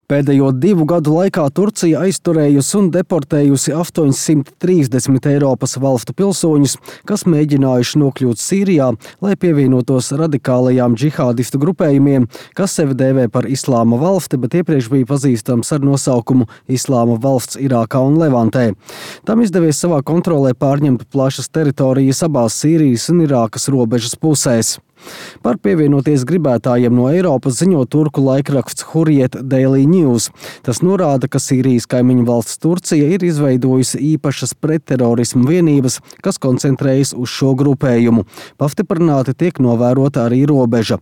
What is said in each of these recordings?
Pēdējo 2 gadu laikā Turcija aizturējusi un deportējusi 830 Eiropas valstu pilsoņus, kas mēģinājuši nokļūt Sīrijā, lai pievienotos radikālajām džihādistu grupējumiem, kas sevi dēvē par Islāma valsti, bet iepriekš bija pazīstams ar nosaukumu Islāma valsts Irākā un Levantē. Tam izdevies savā kontrolē pārņemt plašas teritorijas abās Sīrijas un Irākas robežas pusēs. Par pievienoties gribētājiem no Eiropas ziņo turku laikraksts Hurriyet Daily News. Tas norāda, ka Sīrijas kaimiņu valsts Turcija ir izveidojusi īpašas pretterorismu vienības, kas koncentrējas uz šo grupējumu. Pastiprināti tiek novērota arī robeža.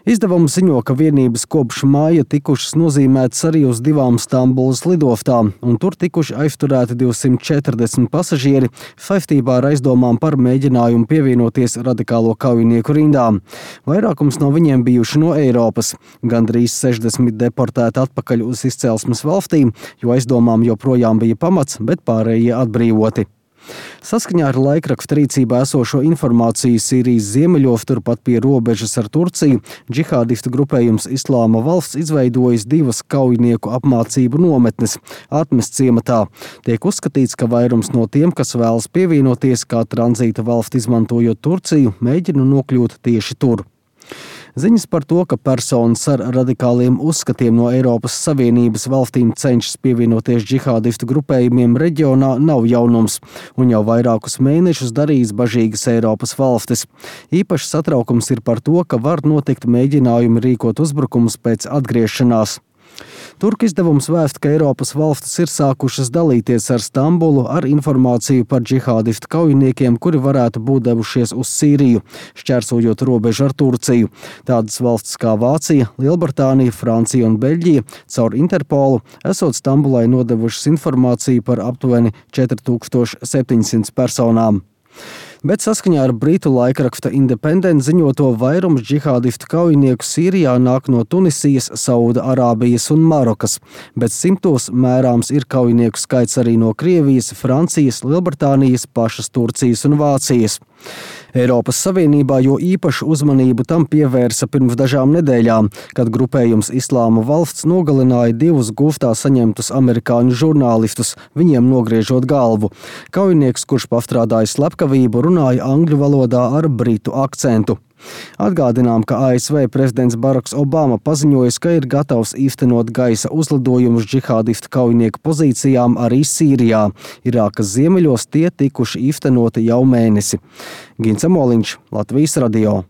Izdevums ziņo, ka vienības kopš māja tikušas nozīmētas arī uz 2 Stambulas lidostām, un tur tikuši aizturēti 240 pasažieri saistībā ar aizdomām par mēģinājumu pievienoties radikālo kaujinieku rindām. Vairākums no viņiem bijuši no Eiropas. Gandrīz 60 deportēti atpakaļ uz izcelsmes valstīm, jo aizdomām joprojām bija pamats, bet pārējie atbrīvoti. Saskaņā ar laikraksta rīcībā esošo informāciju Sīrijas ziemeļos, turpat pie robežas ar Turciju, džihādistu grupējums Islāma valsts izveidojis 2 kaujinieku apmācību nometnes Atmes ciematā. Tiek uzskatīts, ka vairums no tiem, kas vēlas pievienoties kā tranzīta valsti izmantojot Turciju, mēģina nokļūt tieši tur. Ziņas par to, ka personas ar radikāliem uzskatiem no Eiropas Savienības valstīm cenšas pievienoties džihādistu grupējumiem reģionā, nav jaunums, un jau vairākus mēnešus darījis bažīgas Eiropas valstis. Īpašs satraukums ir par to, ka var notikt mēģinājumi rīkot uzbrukumus pēc atgriešanās. Turku izdevums vēst, ka Eiropas valstis ir sākušas dalīties ar Stambulu ar informāciju par džihādistu kaujiniekiem, kuri varētu būt devušies uz Sīriju, šķērsojot robežu ar Turciju. Tādas valstis kā Vācija, Lielbritānija, Francija un Beļģija caur Interpolu esot Stambulai nodevušas informāciju par aptuveni 4700 personām. Bet saskaņā ar britu laikraksta Independent ziņoto, vairums džihādistu kaujinieku Sīrijā nāk no Tunisijas, Sauda-Arābijas un Marokas, bet simtos mērāms ir kaujinieku skaits arī no Krievijas, Francijas, Lielbritānijas, pašas Turcijas un Vācijas. Eiropas Savienībā jo īpašu uzmanību tam pievērsa pirms dažām nedēļām, kad grupējums Islāma valsts nogalināja 2 gūstā saņemtus amerikāņu žurnālistus, viņiem nogriežot galvu. Kaujinieks, kurš pastrādāja slepkavību, runāja angļu valodā ar britu akcentu. Atgādinām, ka ASV prezidents Baraks Obama paziņojis, ka ir gatavs īstenot gaisa uzlidojumus džihādistu kaujinieku pozīcijām arī Sīrijā. Irākas ziemeļos tie tikuši īstenoti jau mēnesi. Gins Amoliņš, Latvijas radio.